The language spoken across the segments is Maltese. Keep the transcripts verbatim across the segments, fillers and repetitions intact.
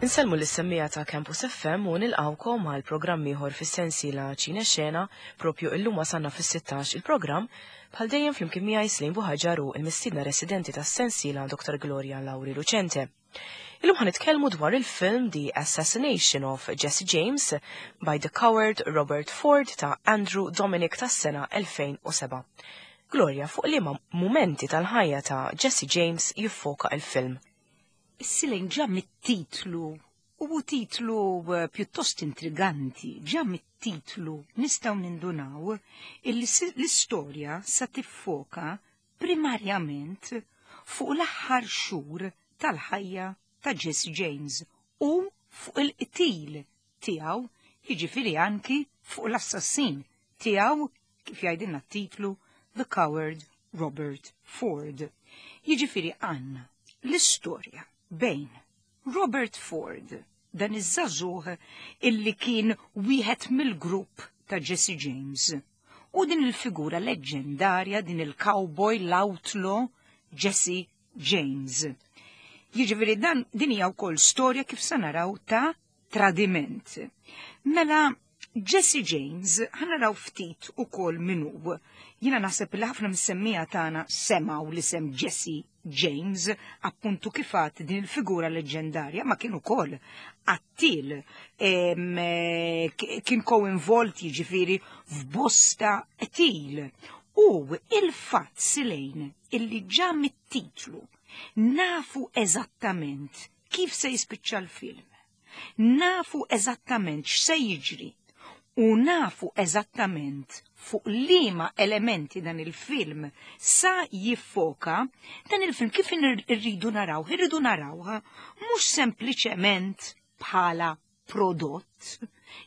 Insellmu lis-semmiegħa ta' Campus F M u nilqawkom għal programm ieħor fis-sensiela Ċine Xena. Propju illum wasalna fis-sittax il-programm. Bħal dejjem, flimkien miegħi Slim Buħaġar u il-mistiedna residenti tas-sensiela, Doktor Gloria Lauri Lucente. Illum ħa nitkellmu dwar il-film The Assassination of Jesse James by the Coward Robert Ford ta' Andrew Dominic tas-sena elfejn u sebgħa. Gloria, fuq liema momenti tal-ħajja ta' Jesse James jiffoka il-film? Silejn, ġa mit-titlu, u titlu eh, pjuttost intriganti, ġa mit-titlu nistgħu nindunaw illi l-istorja sa tiffoka primarjament fuq l-aħħar xhur tal-ħajja ta' Jesse James u fuq il-qtil tiegħu, jiġifieri anki fuq l-assassin tiegħu, kif jgħidilna t-titlu, The Coward Robert Ford. Jiġifieri għandna l-istorja bejn Robert Ford, dan iż-żagħżugħ illi kien wieħed mill-grupp ta' Jesse James, u din il-figura leġġendarja, din il-cowboy, l-outlaw Jesse James. Jiġifieri dan din hija wkoll storja, kif sa naraw, ta' tradiment. Mela Jesse James, ħa naraw ftit ukoll min hu. Jiena naħseb li ħafna mis-semmiegħa tagħna semgħu l-isem Jesse James, appuntu kif għedt, din il-figura leġendarja, ma kien ukoll qattil, kien ko-involt, jiġifieri, f'bosta qtil. U il-fatt, Silejn, illi ġa mit-titlu nafu eżattament kif se jispiċċa l-film. Nafu eżattament x'se jiġri u nafu eżattament fuq liema elementi dan il-film sa jiffoka. Dan il-film kif irridu naraw? Irridu narawha mhux sempliċement bħala prodott,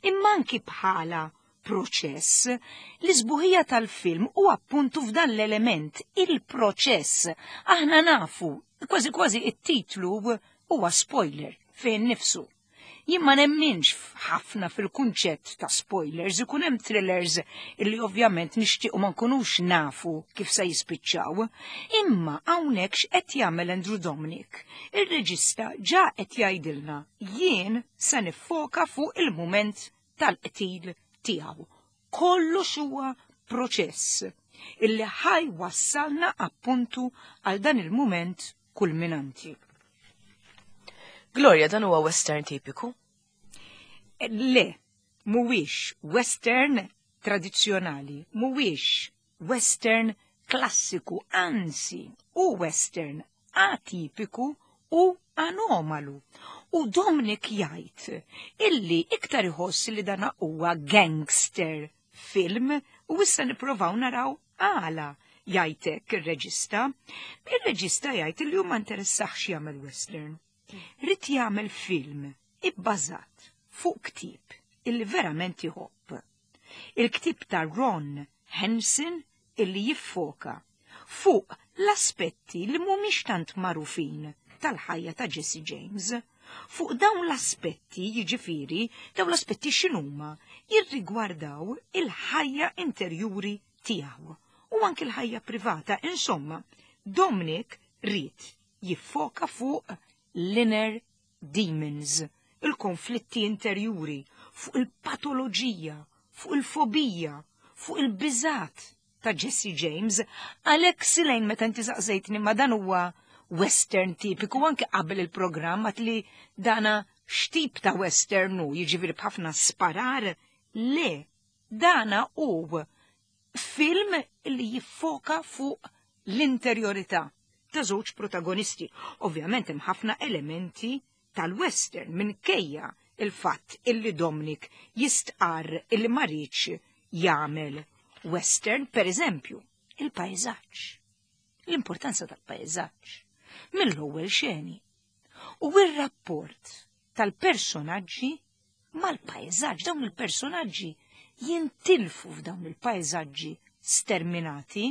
imma anki bħala proċess. L-isbuħija tal-film u appuntu f'dan l-element, il-proċess. Aħna nafu, kważi kważi it-titlu huwa spoiler fejn nifsu. Jien ma nemminx ħafna fil-kunċett ta' spoilers, ikun hemm thrillers illi ovvjament nixtiequ ma nkunux nafu kif se jispiċċaw. Imma hawnhekk x'qed jagħmel Andrew Dominic? Ir-reġista ġa qed jgħidilna: jien se niffoka fuq il-mument tal-qtil tiegħu. Kollox huwa proċess illi ħa jwassalna appuntu għal dan il-mument kulminanti. Gloria, dan huwa western tipiku? Le, mhuwiex western tradizzjonali, mhuwiex western klassiku, anzi, u western atipiku u anomalu. U Dominic jgħid illi iktar iħoss li dana huwa gangster film u issa nipprovaw naraw għala jgħidlek ir-reġista. Ir-reġista jgħid illi hu ma interessaħx jagħmel western. Ried jagħmel film ibbażat fuq ktib illi verament iħobb. Il-ktib ta' Ron Hansen illi jiffoka fuq l-aspetti li mhumiex tant magħrufin tal-ħajja ta' Jesse James. Fuq dawn l-aspetti, jiġifieri, dawn l-aspetti x'inhuma? Jirrigwardaw il-ħajja interjuri tiegħu u anke l-ħajja privata. Insomma, Dominic ried jiffoka fuq l-inner demons, il-konflitti interjuri, fuq il-patoloġija, fuq il-fobija, fuq il-biżat ta' Jesse James. Għalhekk, Silejn, meta inti saqsejtni ma dan huwa western tipiku, anke qabel il-programm li dana x'tip ta' western hu, jiġifieri b'ħafna sparar, le, dana hu film li jiffoka fuq l-interjorità ta' żewġ protagonisti. Ovvjament hemm ħafna elementi tal-western minkejja il-fatt illi Dominic jistqar illi ma riedx jagħmel western, per eżempju, il-pajżaġġ. L-importanza tal-pajżaġġ mill-ewwel xeni. U ir-rapport tal-personaġġi mal-pajżaġġ, dawn il-personaġġi jintilfu f'dawn il-pajżaġġi sterminati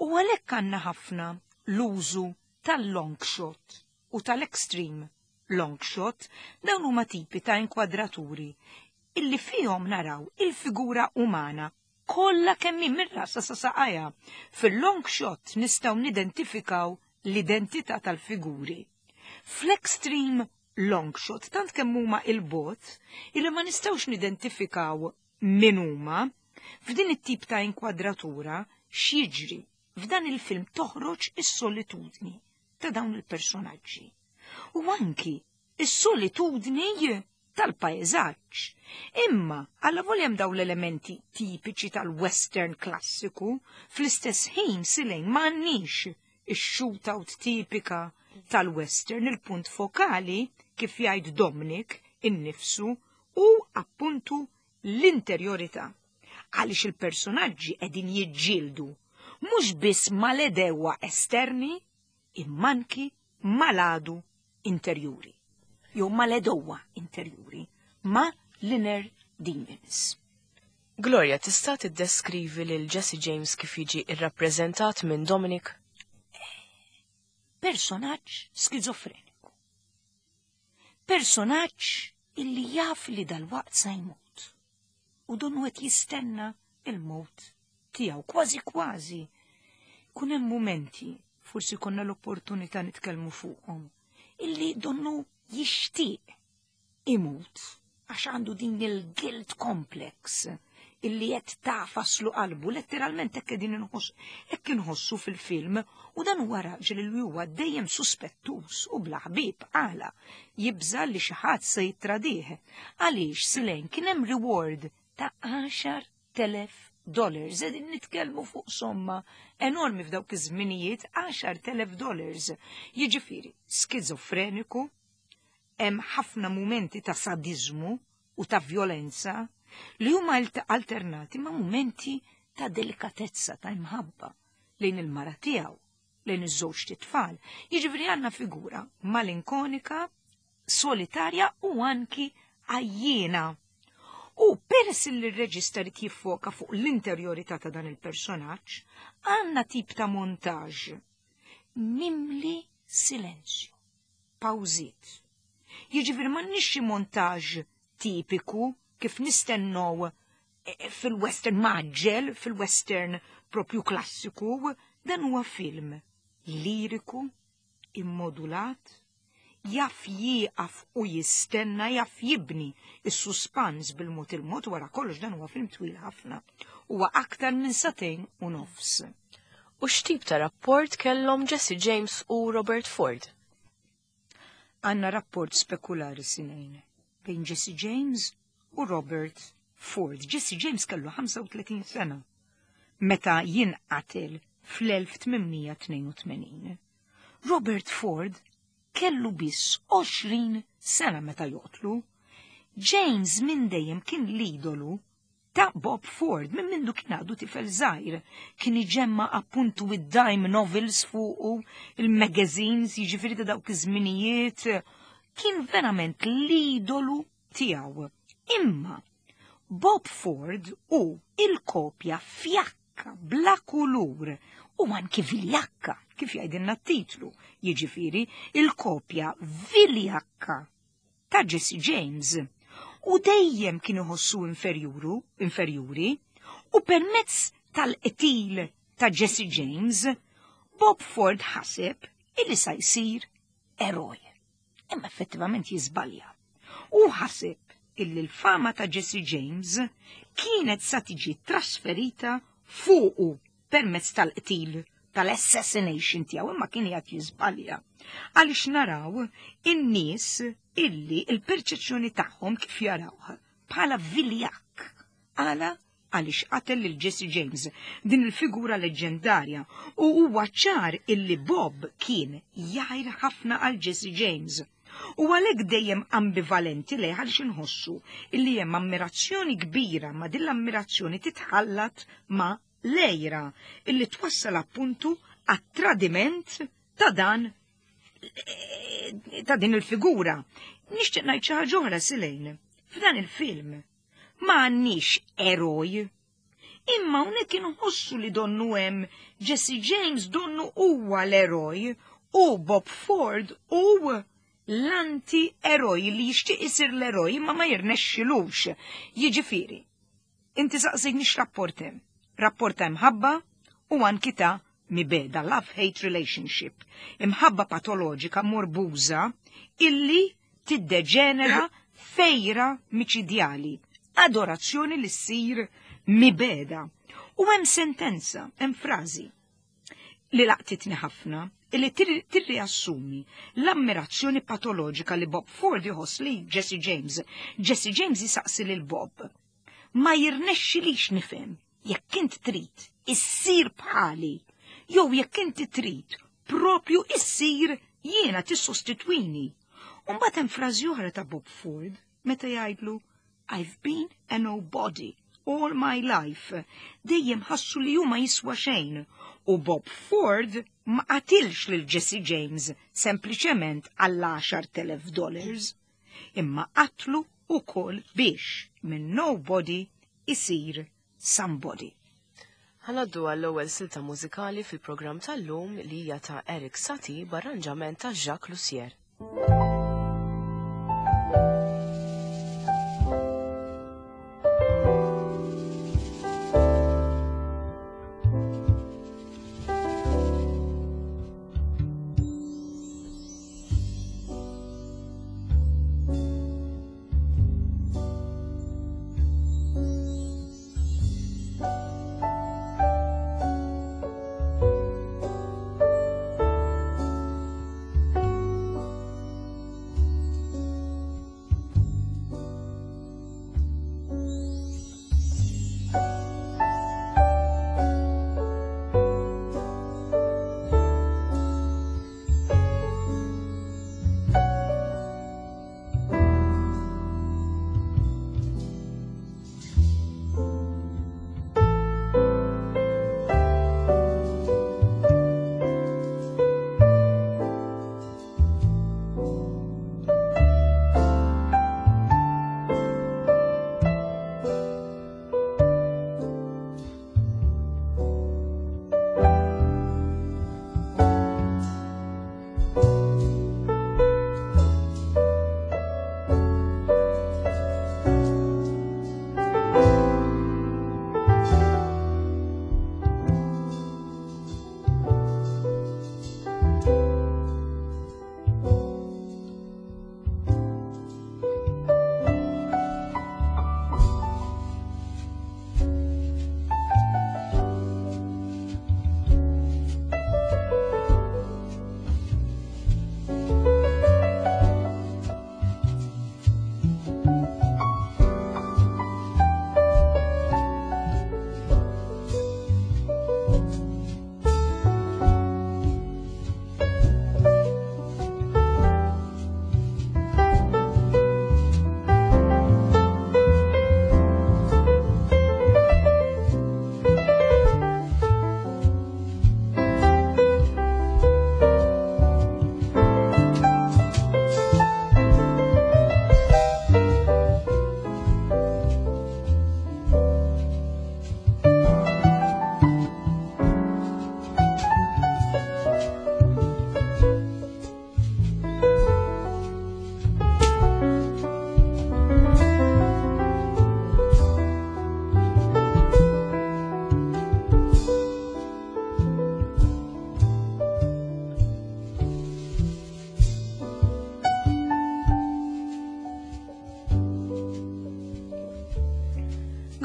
u għalhekk għandna ħafna l-użu tal-long shot u tal-extreme long shot. Dawn huma tipi ta' inkwadraturi illi fihom naraw il-figura umana kollha kemm minn rasha sa saqajha. Fil-long shot nistgħu nidentifikaw l-identità tal-figuri. Fl-extreme long shot, tant kemm huma 'il bogħod illi ma nistgħux nidentifikaw min huma. F'din it-tip ta' inkwadratura x'jiġri? F'dan il-film toħroġ is-solitudni ta' dawn il-personaġġi. U anki is-solitudni tal-pajzaġġ. Imma għalla voljem daw l-elementi tipiċi tal-western klassiku, fl-istess ħin, Silejn, m'għandniex ix-shootout tipika tal-western. Il-punt fokali, kif jgħid Dominic innifsu, u appuntu l-interjorità. Għaliex il-personaġġi qegħdin jiġġieldu mhux biss mal-għedewwa esterni, imma anki mal-għadu interjuri. Jew mal-għedewwa interjuri, ma l-inner demons. Gloria, tista' tiddeskrivi lil Jesse James kif jiġi irrappreżentat minn Dominic? Personaġġ skizofreniku. Personaġġ illi jaf li dal-waqt sa jmut. U donnu qed jistenna il-mot tiegħu kważi kważi. Kun hemm mumenti, forsi konna l-opportunità nitkellmu fuqhom, illi donnu jixtieq imut għax għandu din il-guilt complex illi qed tagħfaslu qalbu, letteralment hekk qegħdin inħoss, hekk inħossu fil-film, u dan huwa raġel li huwa dejjem suspettus u bla ħbieb. Għala? Jibża li xi ħadd se jittradih. Għaliex, Silejn, kien hemm reward ta' għaxart elef dollars. Qegħdin nitkellmu fuq somma enormi f'dawk iż-żminijiet, għaxart elef dollars. Jiġifieri, skizofreniku, hemm ħafna mumenti ta' sadizmu u ta' violenza li huma alternati ma' mumenti ta' delikatezza, ta' imħabba lejn il-mara tiegħu, lejn iż-żewġ tfal. Jiġifieri għandna figura malinkonika, solitarja u anki għajjiena. U peress li r-reġista li jiffoka fuq l-interjorità ta' dan il-personaġġ, għandna tip ta' montaġġ mimli silenzju, pawżiet. Jiġifieri m'għandniex xi montaġġ tipiku kif nistennow eh, fil-western maġġel, fil-western propju klassiku. Dan huwa film liriku, immodulat, jaf jieqaf u jistenna, jaf jibni is-suspans bil-mod il-mod. Wara kollox dan huwa film twil ħafna. Huwa aktar minn sagħtejn u nofs. U x'tip ta' rapport kellhom Jesse James u Robert Ford? Għandna rapport spekulari, Silejn, bejn Jesse James u Robert Ford. Jesse James kellu ħamsa u tletin sena meta jinqatel fl-elf tmien mija tnejn u tmenin. Robert Ford kellu biss għoxrin sena meta joqtlu. James minn dejjem kien l-idolu ta' Bob Ford, minn mindu kien għadu tifel żgħir. Kien iġemma appuntu id-dime novels fuqu, il-magazines, jiġifieri ta' dawk iż-żminijiet. Kien verament l-idolu tiegħu. Imma Bob Ford u il-kopja fjakka, bla kulur u anki viljakka, kif jgħidilna t-titlu, jiġifieri il-kopja viljakka ta' Jesse James. U dejjem kien iħossu inferjuru, inferjuri, u permezz tal-qtil ta' Jesse James, Bob Ford ħaseb illi sa jsir eroj. Imma effettivament jiżbalja. U ħaseb illi l-fama ta' Jesse James kienet sa tiġi trasferita fuqu permezz tal-qtil, tal-assassination tiegħu, imma kien qed jiżbalja. Għaliex naraw in-nies illi il-perċezzjoni tagħhom kif jarawh bħala viljakk. Għala? Għaliex qatel lil Jesse James, din il-figura leġendarja, u huwa ċar illi Bob kien jgħir ħafna għal Jesse James. U għalhekk dejjem ambivalenti lejh, għaliex inħossu illi hemm ammirazzjoni kbira, ma din l-ammirazzjoni titħallat ma' l-għira illi twassal appuntu għat-tradiment ta' dan ta' din il-figura. Nixtieq ngħid xi ħaġa oħra, Silejn. F'dan il-film ma għandniex eroj. Imma hawnhekk inħossu li donnu hemm Jesse James, donnu huwa l-eroj u Bob Ford u l-anti-eroj li jixtieq isir l-eroj imma ma jirnexxilux. Jiġifieri, inti saqsejtni x'rapport hemm. Rapport ta' imħabba u anki ta' mibegħda, love-hate relationship. Imħabba patoloġika morbuża illi tiddeġenera fejra miċidjali, adorazzjoni li ssir mibeda. U hemm sentenza, hemm frażi li laqtitni ħafna, li tirriassumi l-ammirazzjoni patoloġika li Bob Ford jħoss li Jesse James. Jesse James jisaqsi lil Bob: "Ma jirnexxilix nifhem jekk int trid issir bħali, jew jekk inti trid propju issir jiena, tissostitwini." U mbagħad hemm frażi oħra ta' Bob Ford meta jgħidlu: "I've been a nobody all my life." Dejjem ħassu li huma jiswa xejn. U Bob Ford ma qatilx lil Jesse James sempliċement għall għaxart elef dollars, imma qatlu ukoll biex minn nobody isir somebody. Ħa ngħaddu għall-ewwel silta mużikali fil-programm tal-lum li hija ta' Erik Satie b'arranġament ta' Jacques Loussier.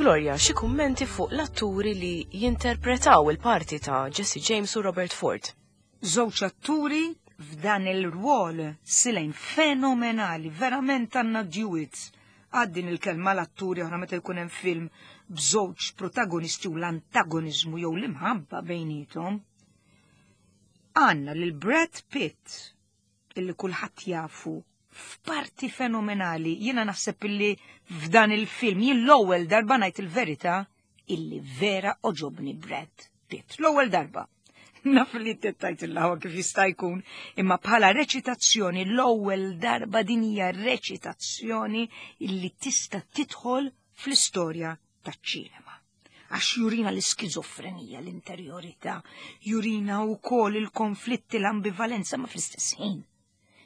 Gloria, xi kummenti fuq l-atturi li jinterpretaw il-parti ta' Jesse James u Robert Ford? Żewġ atturi f'dan il-rwol silejn fenomenali, verament għandna duets. Għaddin il-kelma l-atturi oħra meta jkun hemm film b'żewġ protagonisti u l-antagonizmu jew l-imħabba bejnietom. Għandna lil Brad Pitt, illi kulħadd jafu f'parti fenomenali. Jiena naħseb illi f'dan il-film, jien l-ewwel darba, ngħid il-verità, illi vera għoġobni Brad Pitt. L-ewwel darba. Naf li tettajt il-lawa kif jista' jkun, imma bħala reċitazzjoni l-ewwel darba din hija reċitazzjoni illi tista' tidħol fl-istorja taċ-ċinema. Għax jurina l-iskizofrenija, l-interjorità, jurina wkoll il-konflitti, l-ambivalenza, ma fl-istess ħin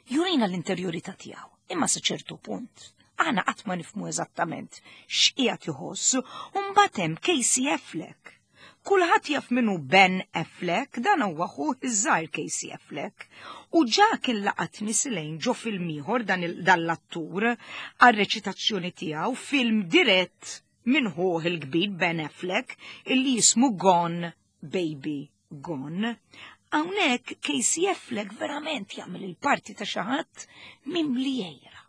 jurina l-interjorità tiegħu, imma sa ċertu punt. Aħna qatt ma nifhmu eżattament x'qiegħed iħoss, u mbagħad hemm Casey Affleck. Kulħadd jaf min hu Ben Affleck, dan huwa ħuh iż-żgħir Casey Affleck. U ġa kien laqatni Silejn ġo film ieħor dan l-attur għar-reċitazzjoni tiegħu, film dirett minn ħuh il-kbir Ben Affleck illi jismu Gone Baby Gone. Hawnhekk Casey Affleck verament jagħmel il-parti ta' xi ħadd mimli għira.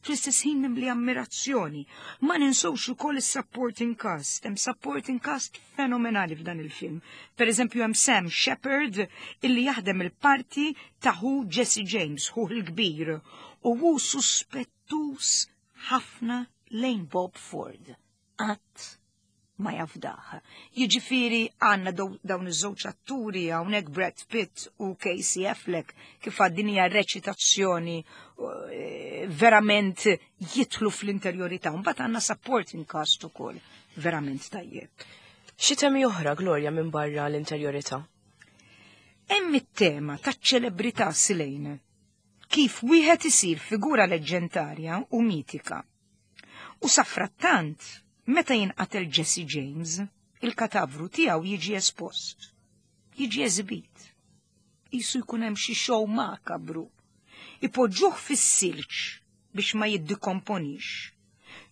Fl-istess ħin mimli ammirazzjoni. Ma ninsewx ukoll is-supporting cast. Hemm supporting cast fenomenali f'dan il-film. Per eżempju hemm Sam Shepard illi jaħdem il-parti ta' ħu Jesse James, ħu l-kbir, u hu suspettus ħafna lejn Bob Ford. Qatt ma jafdaħ. Jiġifieri għandna dawn iż-żewġ atturi hawnhekk Brad Pitt u Casey Affleck kif għad hija reċitazzjoni eh, verament jidħlu fl-interjorità. Mbagħad għandna supporting cast ukoll verament tajjeb. Xi temi oħra, Gloria, minn barra l-interjorità? Hemm it-tema taċ-ċelebrità, Silejn. Kif wieħed isir figura leġendarja u mitika. U safrattant, meta jinqatel Jesse James, il-katavru tiegħu jiġi espost, jiġi eżibit. Qisu jkun hemm xi show makabru. Ipoġġuh fis-silġ biex ma jiddikomponix.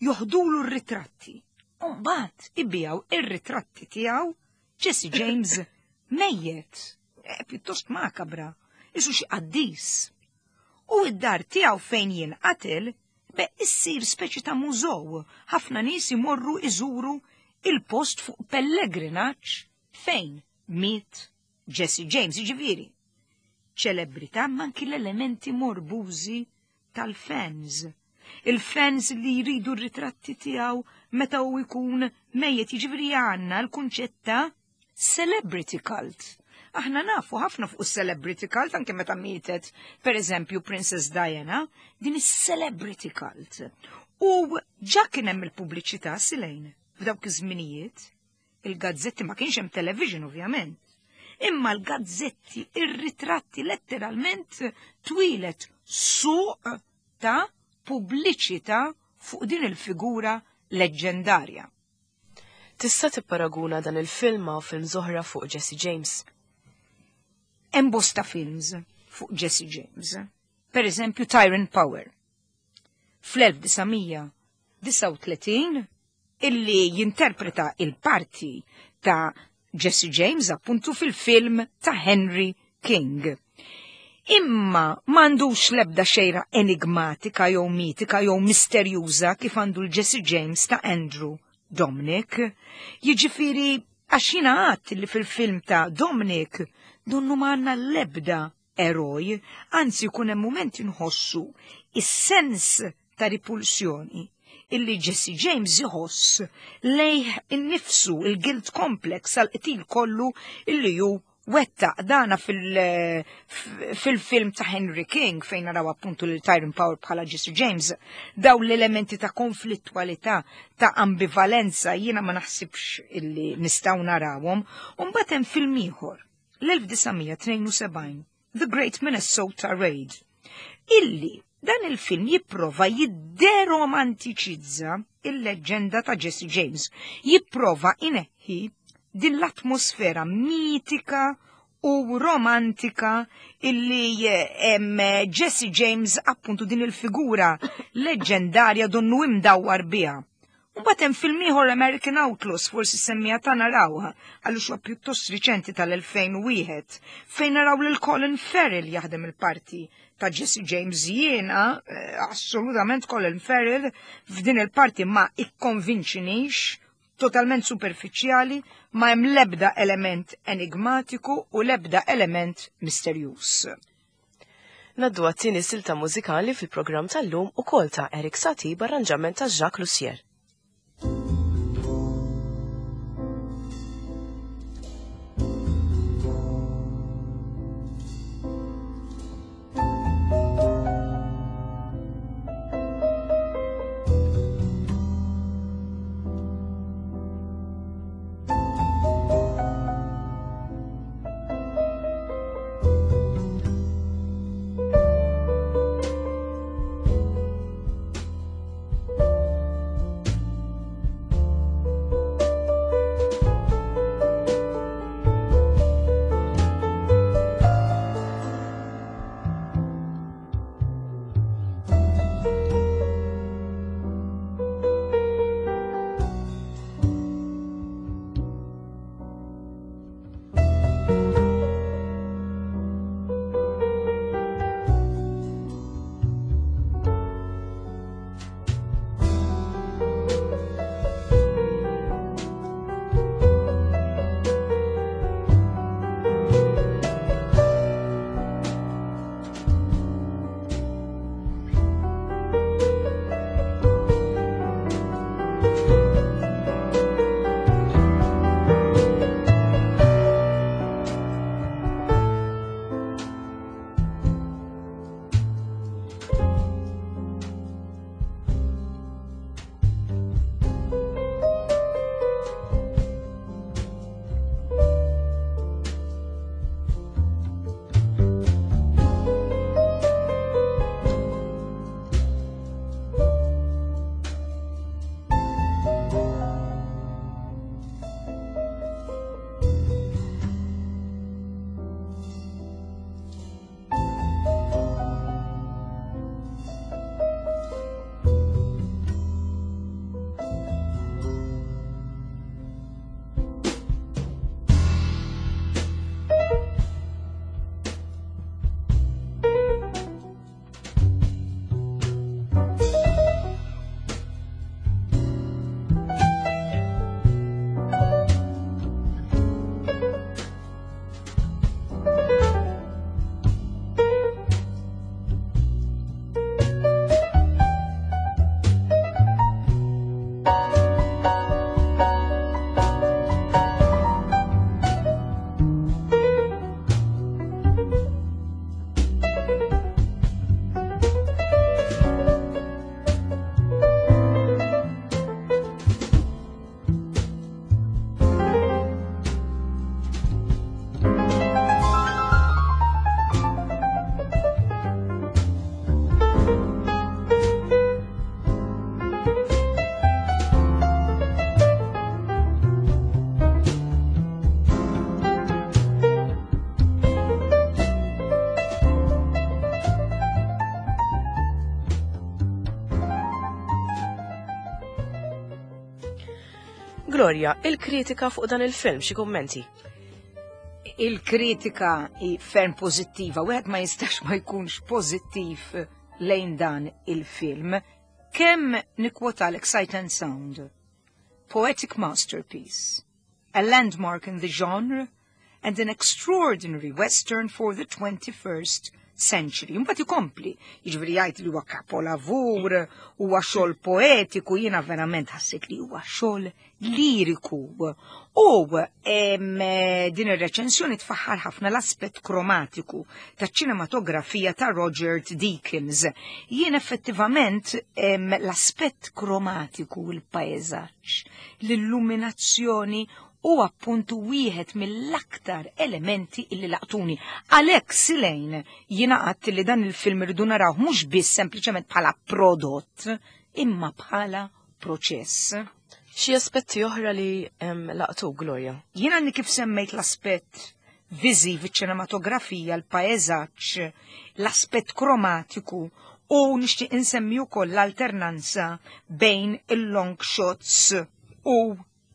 Joħdulu r-ritratti. U mbagħad ibigħu ir-ritratti tiegħu Jesse James mejjet. E, pjuttost makabra, qisu xi qaddis. U id-dar tiegħu fejn jinqatel be issir speċi ta' mużew. Ħafna nies imorru iżuru il-post fuq pellegrinaġġ fejn miet Jesse James, jiġifieri. Ċelebrità ma anki l-elementi morbużi tal-fans. Il-fans li jridu r-ritratti tiegħu meta hu jkun mejjet, jiġifieri għandna l-kunċett ta' celebrity cult. Aħna nafu ħafna fuq celebrity cult, anke meta mietet, per eżempju, Princess Diana, din is-celebrity cult. U ġa kien hemm il-pubbliċità, Silejn, f'dawk iż-żminijiet, il-gazzetti, ma kienx hemm television ovvjament. Imma l-gazzetti, ir-ritratti, letteralment twieled suq ta' pubbliċità fuq din il-figura leġendarja. Tista' tipparaguna dan il-film ma' film oħra fuq Jesse James? Hemm bosta films fuq Jesse James. Per eżempju Tyrone Power. fl-elf disa' mija disgħa u tletin illi jinterpreta il-parti ta' Jesse James appuntu fil-film ta' Henry King. Imma m'għandux lebda xejra enigmatika jew mitika jew misterjuża kif għandu l-Jesse James ta' Andrew Dominic. Jiġifieri għax jiena għadt li fil-film ta' Dominic donnu m'għandna l-ebda eroj, anzi jkun hemm moment inħossu is-sens ta' ripulsjoni illi Jesse James iħoss lejh innifsu, il-guilt complex għal-qtil kollu illi hu wettaq. Dana fil-film ta' Henry King fejn naraw appuntu lil Tyrone Power bħala Jesse James, daw l-elementi ta' konflittualità, ta' ambivalenza, jiena ma naħsibx illi nistgħu narawhom. U mbagħad hemm film ieħor, l-elf disa' mija tnejn u sebgħin, The Great Minnesota Raid, illi dan il-film jipprova jidderomantiċizza il-leġenda ta' Jesse James, jipprova ineħħi din l-atmosfera mitika u romantika illi em, Jesse James, appuntu din il-figura leġendarja, donnu imdawwar biha. Mbagħad hemm film ieħor, American Outlaws, forsi semmija ta' narawha, għaliex huwa pjuttost riċenti, tal-elfejn u wieħed, fejn naraw lil Colin Farrell jaħdem il-parti ta' Jesse James. Jiena eh, assolutament Colin Farrell f'din il-parti ma ikkonvinċinix, totalment superfiċjali, ma hemm lebda element enigmatiku u lebda element misterjuż. Ngħaddu għat-tieni silta mużikali fil-programm tal-lum, ukoll ta' Erik Satie b'arranġament ta' Jacques Loussier. Gloria, il-kritika fuq dan il-film, xi kummenti? Il-kritika hi ferm pożittiva, wieħed ma jistax ma jkunx pożittiv lejn dan il-film. Kemm nikkwotalek Sight and Sound? Poetic masterpiece, a landmark in the genre, and an extraordinary western for the twenty-first century. Mbagħad ikompli, jiġifieri jgħid li huwa kapolavur, huwa xogħol poetiku, jiena verament ħassejt li huwa xogħol liriku. U em, din ir-reċensjoni tfaħħar ħafna l-aspett kromatiku taċ-ċinematografija ta' Roger Deakins. Jien effettivament em, l-aspett kromatiku, il-pajjeżaġġ, l-illuminazzjoni u appuntu wieħed mill-aktar elementi illi laqtuni. Għalhekk, Silejn, jiena għedt li dan il-film irridu naraw mhux biss sempliċement bħala prodott, imma bħala proċess. Xi aspetti oħra li em, laqtu, Gloria? Jiena għadni kif semmejt l-aspett viżiv, iċ-ċinematografija, l-pajjeżaġġ, l-aspett kromatiku u nixtieq insemmi wkoll l-alternanza bejn il-long shots u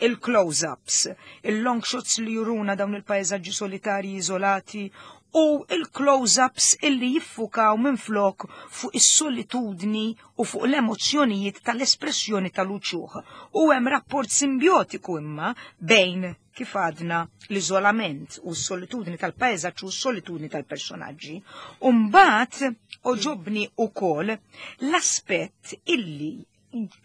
il-close-ups, il-long shots li juruna dawn il-pajjeżaġġi solitarji izolati u il-close-ups illi jiffukaw minn flok fuq is-solitudni u fuq l-emozzjonijiet tal-espressjoni tal-uċuħ. U hemm rapport simbiotiku imma bejn, kif għadna, l-iżolament u s-solitudni tal-pajjeżaġġ u s-solitudni tal-personaġġi. U mbagħad għoġobni ukoll l-aspett illi,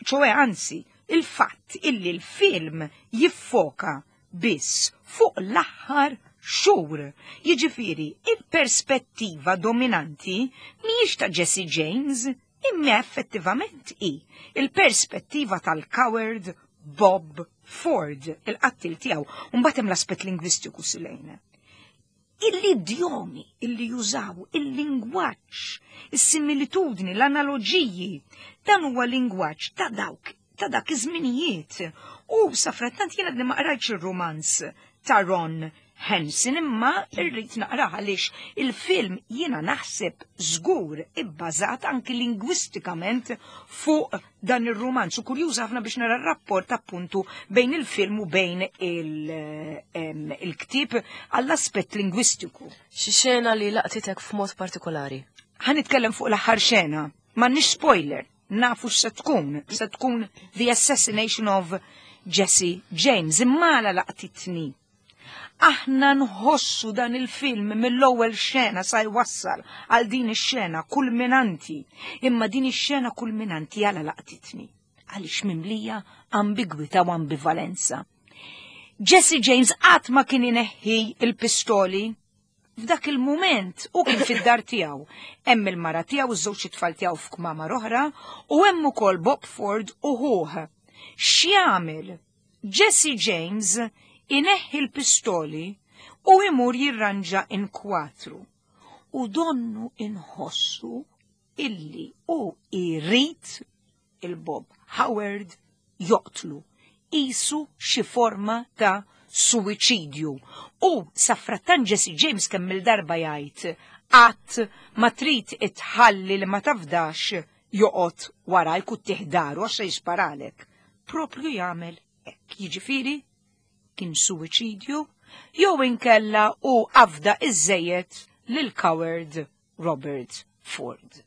ċoè anzi, il-fatt illi l-film jiffoka biss fuq l-aħħar xhur. Jiġifieri, il-perspettiva dominanti mhijiex ta' Jesse James, imma effettivament hi il-perspettiva tal-coward Bob Ford, il-qattil tiegħu. Mbagħad hemm l-aspett lingwistiku, Silejna. Il-idjomi illi jużaw, il-lingwaġġ, is-similitudni, l-analoġiji, dan huwa lingwaġġ ta' dawk ta' dak iż-żminijiet. U safrattant jiena ma qrajtx ir-romanz ta' Ron Hansen, imma irrid naqrah għaliex il-film jiena naħseb żgur ibbażat anki lingwistikament fuq dan ir-romanz. U kurjuż ħafna biex nara r-rapport appuntu bejn il-film u bejn il-ktieb għall-aspett lingwistiku. Xi xena li laqtitek f'mod partikolari? Ħa nitkellem fuq l-aħħar xena, m'għandniex spoiler, nafu x'se tkun, se tkun The Assassination of Jesse James, imma la laqtitni. Aħna nħossu dan il-film mill-ewwel xena sa jwassal għal din ix-xena kulminanti, imma din ix-xena kulminanti għala laqtitni? Għaliex mimlija ambigwità u ambivalenza. Jesse James qatt ma kien ineħħi il-pistoli. F'dak il-moment u kien fid-dar tiegħu. Hemm il-mara tiegħu, iż-żewġ tfal tiegħu f'kmamar oħra u hemm ukoll Bob Ford u ħuh. X'jagħmel? Jesse James ineħħi l-pistoli u imur jirranġa inkwatru. U donnu inħossu illi u irrid il-Bob Howard joqtlu. Isu xi forma ta' suwiċidju. U safrattan Jesse James kemm il-darba jgħid qatt ma trid itħalli li ma tafdax joqgħod warajk u tiħdaru għax se jisparalek. Propju jagħmel hekk. Jiġifieri kien suwiċidju jew inkella u afda iżżejjed lil coward Robert Ford.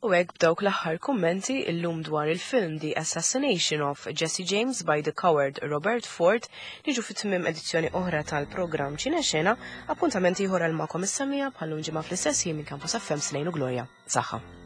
U hekk b'dawk l-aħħar kummenti illum dwar il-film The Assassination of Jesse James by the Coward Robert Ford niġu fit tmiem edizzjoni oħra tal-programm Ċinexena, appuntament ieħor għal magħkom is-semmiegħa bħal-lum ġimgħa fl-istess ħin minn Campus F M, Slejn u Gloria. Saħħa.